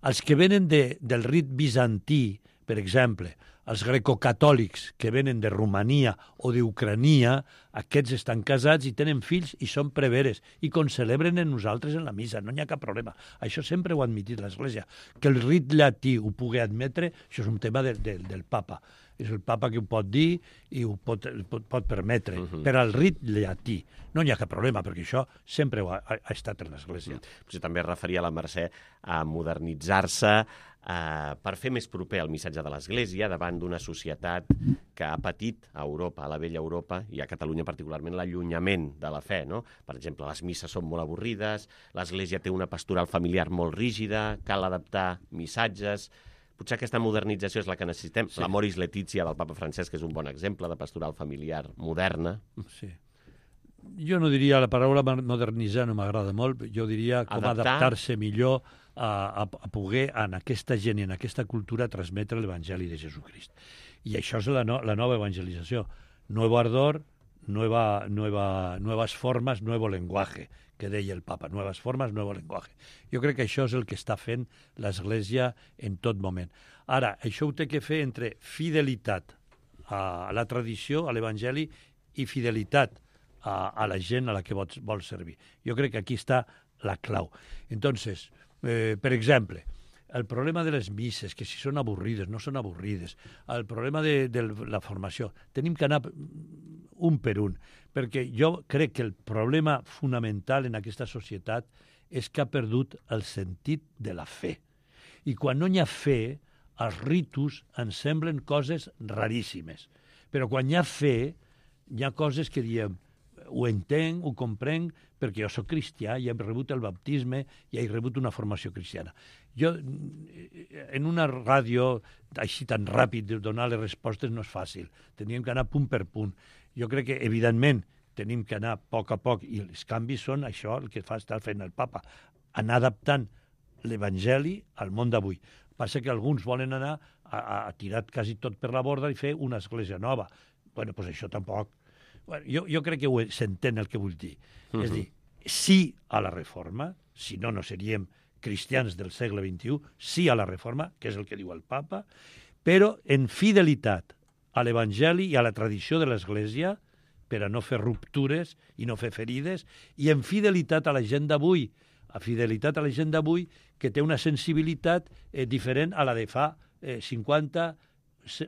Els que venen del rit bizantí, per exemple, els grecocatòlics que venen de Romania o d'Ucrania, aquests estan casats i tenen fills i són preveres i concelebren en nosaltres en la missa, no hi ha cap problema. Això sempre ho ha admitit l'Església. Que el rit llatí ho pugui admetre, això és un tema del papa. És el papa que ho pot dir i ho pot permetre. Per al rit llatí no hi ha cap problema, perquè això sempre ha estat en l'Església. Potser també es referia a la Mercè a modernitzar-se per fer més proper el missatge de l'Església davant d'una societat que ha patit a Europa, a la vella Europa, i a Catalunya particularment, l'allunyament de la fe, no? Per exemple, les misses són molt avorrides, l'Església té una pastoral familiar molt rígida, cal adaptar missatges. Potser aquesta modernització és la que necessitem. Sí. L'Amoris Laetitia del papa Francesc és un bon exemple de pastoral familiar moderna. Sí. Jo no diria, la paraula modernitzar no m'agrada molt, jo diria com adaptar-se millor a poder en aquesta gent i en aquesta cultura transmetre l'Evangeli de Jesucrist. I això és la nova evangelització. Nuevo ardor, nuevas formas, nuevo lenguaje, que deia el papa. Nuevas formas, nuevo lenguaje. Jo crec que això és el que està fent l'Església en tot moment. Ara, això ho té que fer entre fidelitat a la tradició, a l'Evangeli, i fidelitat a la gent a la que vol servir. Jo crec que aquí està la clau. Entonces, per exemple, el problema de les misses, que si són avorrides, no són avorrides, el problema de la formació, tenim que anar un per un, perquè jo crec que el problema fonamental en aquesta societat és que ha perdut el sentit de la fe. I quan no hi ha fe, els ritus ens semblen coses raríssimes. Però quan hi ha fe, hi ha coses que diem, ho entenc, ho comprenc, perquè jo soc cristià i he rebut el baptisme i he rebut una formació cristiana. Jo, en una ràdio, així tan ràpid, donar les respostes no és fàcil. Teníem que anar punt per punt. Jo crec que, evidentment, tenim que anar a poc, i els canvis són això el que està fent el papa, anar adaptant l'Evangeli al món d'avui. Passa que alguns volen anar a tirar quasi tot per la borda i fer una església nova. Bueno, doncs això tampoc. Bueno, jo crec que s'entén el que vull dir. És dir, sí a la reforma, si no, no seríem cristians del segle XXI, sí a la reforma, que és el que diu el papa, però en fidelitat a l'Evangeli i a la tradició de l'Església, per a no fer ruptures i no fer ferides, i en fidelitat a la gent d'avui, que té una sensibilitat diferent a la de fa 50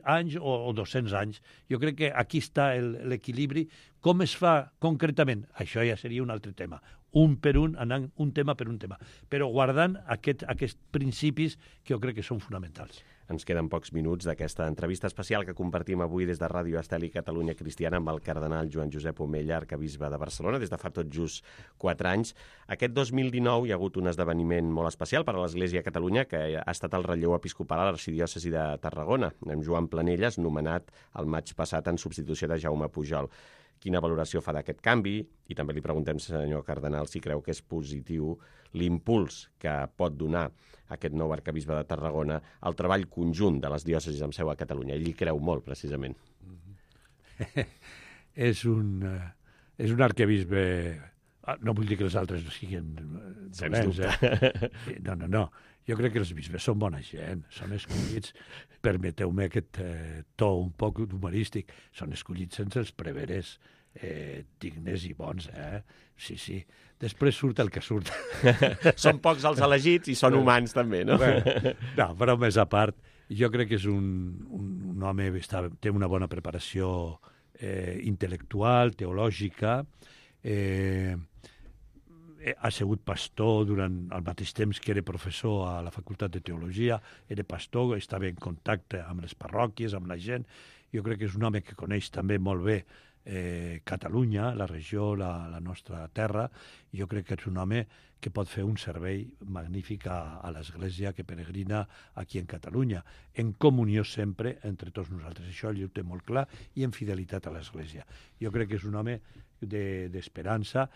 anys o 200 anys. Jo crec que aquí està l'equilibri. Com es fa concretament? Això ja seria un altre tema. Un per un, anant un tema per un tema. Però guardant aquests principis que jo crec que són fonamentals. Ens queden pocs minuts d'aquesta entrevista especial que compartim avui des de Ràdio Estel i Catalunya Cristiana amb el cardenal Joan Josep Omella, arcabisbe de Barcelona, des de fa tot just 4 anys. Aquest 2019 hi ha hagut un esdeveniment molt especial per a l'Església a Catalunya, que ha estat el relleu episcopal a l'arxidiòcesi de Tarragona, amb Joan Planelles, nomenat el maig passat en substitució de Jaume Pujol. Quina valoració fa d'aquest canvi? I també li preguntem, senyor cardenal, si creu que és positiu l'impuls que pot donar aquest nou arcabisbe de Tarragona al treball conjunt de les diòcesis amb seu a Catalunya. Ell hi creu molt, precisament. És un arquebisbe... No vull dir que els altres no siguin dolents, No. Jo crec que els bisbes són bona gent, són escollits, permeteu-me aquest to un poc humorístic, són escollits sense els preveres dignes i bons, Sí. Després surt el que surt. Són pocs els elegits i són humans també, no? No, però més a part, jo crec que és un home que té una bona preparació intel·lectual, teològica, ha sigut pastor durant el mateix temps que era professor a la Facultat de Teologia, era pastor, estava en contacte amb les parròquies, amb la gent. Jo crec que és un home que coneix també molt bé Catalunya, la regió, la nostra terra. Jo crec que és un home que pot fer un servei magnífic a l'Església que peregrina aquí en Catalunya, en comunió sempre entre tots nosaltres. Això ell ho té molt clar i en fidelitat a l'Església. Jo crec que és un home d'esperança,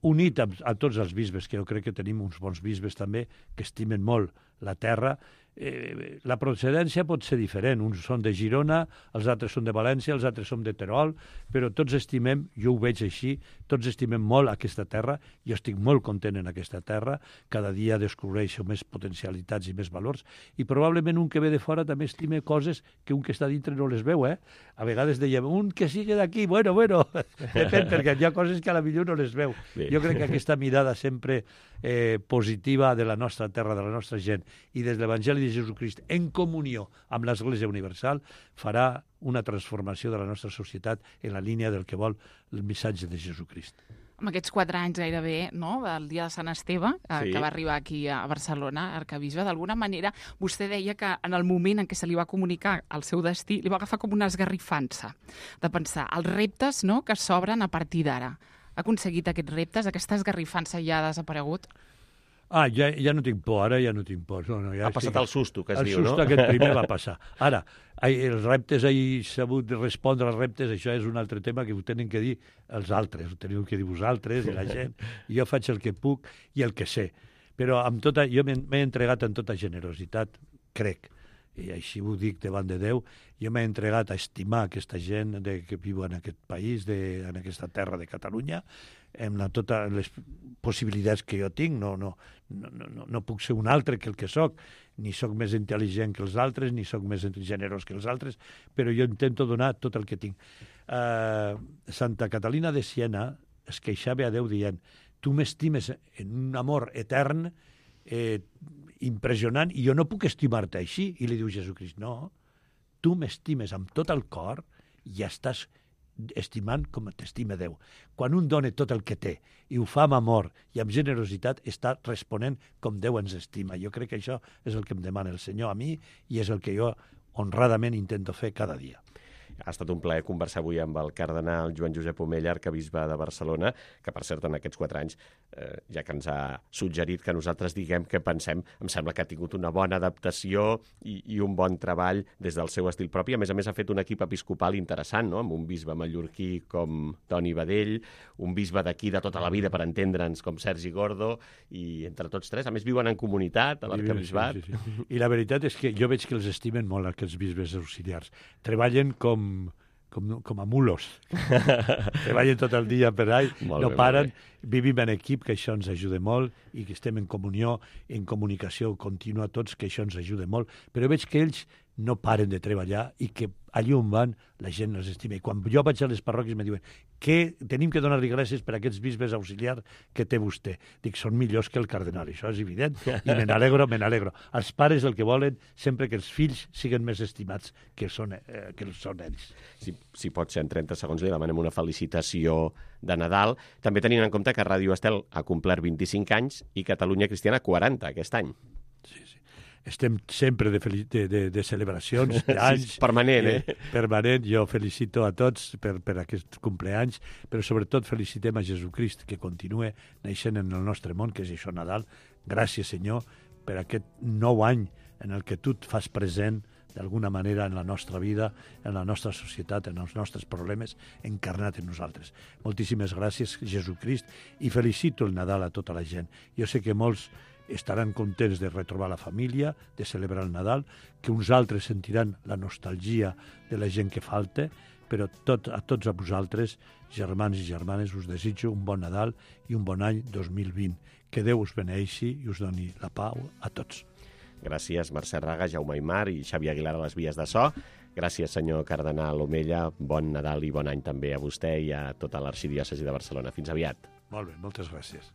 unit a tots els bisbes, que jo crec que tenim uns bons bisbes també, que estimen molt la terra. La procedència pot ser diferent. Uns són de Girona, els altres són de València, els altres són de Terol, però tots estimem, jo ho veig així, tots estimem molt aquesta terra. Jo estic molt content en aquesta terra, cada dia descobreixo més potencialitats i més valors, i probablement un que ve de fora també estime coses que un que està dintre no les veu, A vegades dèiem, un que sigui d'aquí, bueno, depèn, perquè hi ha coses que a la millor no les veu. Bé. Jo crec que aquesta mirada sempre positiva de la nostra terra, de la nostra gent, i des de l'Evangeli de Jesucrist, en comunió amb l'Església Universal, farà una transformació de la nostra societat en la línia del que vol el missatge de Jesucrist. Amb aquests 4 anys gairebé, no?, del dia de Sant Esteve, que va arribar aquí a Barcelona, arcabisbe, d'alguna manera, vostè deia que en el moment en què se li va comunicar el seu destí, li va agafar com una esgarrifança de pensar els reptes, no?, que s'obren a partir d'ara. Ha aconseguit aquests reptes? Aquesta esgarrifança ja ha desaparegut? Ja no tinc por, ara ja no tinc por. No, ja ha passat el susto, que es diu, no? El susto aquest primer va passar. Ara, els reptes, he sabut respondre als reptes, això és un altre tema que ho tenen que dir els altres, ho teniu que dir vosaltres i la gent. Jo faig el que puc i el que sé. Però jo m'he entregat amb tota generositat, crec, i així ho dic davant de Déu, jo m'he entregat a estimar aquesta gent que viu en aquest país, en aquesta terra de Catalunya, amb totes les possibilitats que jo tinc. No puc ser un altre que el que soc, ni soc més intel·ligent que els altres, ni soc més generós que els altres, però jo intento donar tot el que tinc. Santa Catalina de Siena es queixava a Déu dient: tu m'estimes en un amor etern, impressionant, i jo no puc estimar-te així. I li diu Jesucrist: no, tu m'estimes amb tot el cor i estàs estimant com t'estima Déu. Quan un dona tot el que té i ho fa amb amor i amb generositat, està responent com Déu ens estima. Jo crec que això és el que em demana el Senyor a mi i és el que jo honradament intento fer cada dia. Ha estat un plaer conversar avui amb el cardenal Joan Josep Omella, arcabisbe de Barcelona, que, per cert, en aquests 4 anys, ja que ens ha suggerit que nosaltres diguem què pensem, em sembla que ha tingut una bona adaptació i un bon treball des del seu estil propi. A més, ha fet un equip episcopal interessant, no?, amb un bisbe mallorquí com Toni Badell, un bisbe d'aquí de tota la vida, per entendre'ns, com Sergi Gordo, i entre tots 3, a més, viuen en comunitat, a l'arcabisbat. Sí. I la veritat és que jo veig que els estimen molt aquests bisbes auxiliars. Treballen com a mulos. Treballen tot el dia per ahí, no paren, vivim en equip, que això ens ajuda molt, i que estem en comunió, en comunicació contínua tots, que això ens ajuda molt. Però veig que ells no paren de treballar i que allà on van la gent els estima. I quan jo vaig a les parròquies me diuen que tenim que donar-li gràcies per aquests bisbes auxiliars que té vostè. Dic, són millors que el cardenal, això és evident, i me n'alegro. Els pares el que volen sempre que els fills siguin més estimats que són ells. Si pot ser en 30 segons, li demanem una felicitació de Nadal. També tenint en compte que Ràdio Estel ha complert 25 anys i Catalunya Cristiana 40 aquest any. Sí. Estem sempre de celebracions, d'anys. Sí, permanent, Permanent. Jo felicito a tots per aquests compleanys, però sobretot felicitem a Jesucrist, que continua naixent en el nostre món, que és això Nadal. Gràcies, Senyor, per aquest nou any en el que tu et fas present d'alguna manera en la nostra vida, en la nostra societat, en els nostres problemes, encarnat en nosaltres. Moltíssimes gràcies, Jesucrist, i felicito el Nadal a tota la gent. Jo sé que molts estaran contents de retrobar la família, de celebrar el Nadal, que uns altres sentiran la nostalgia de la gent que falta, però a tots a vosaltres, germans i germanes, us desitjo un bon Nadal i un bon any 2020. Que Déu us beneixi i us doni la pau a tots. Gràcies, Mercè Raga, Jaume Aymar i Xavier Aguilar a les vies de so. Gràcies, senyor cardenal Omella. Bon Nadal i bon any també a vostè i a tota l'arxidiòcesi de Barcelona. Fins aviat. Molt bé, moltes gràcies.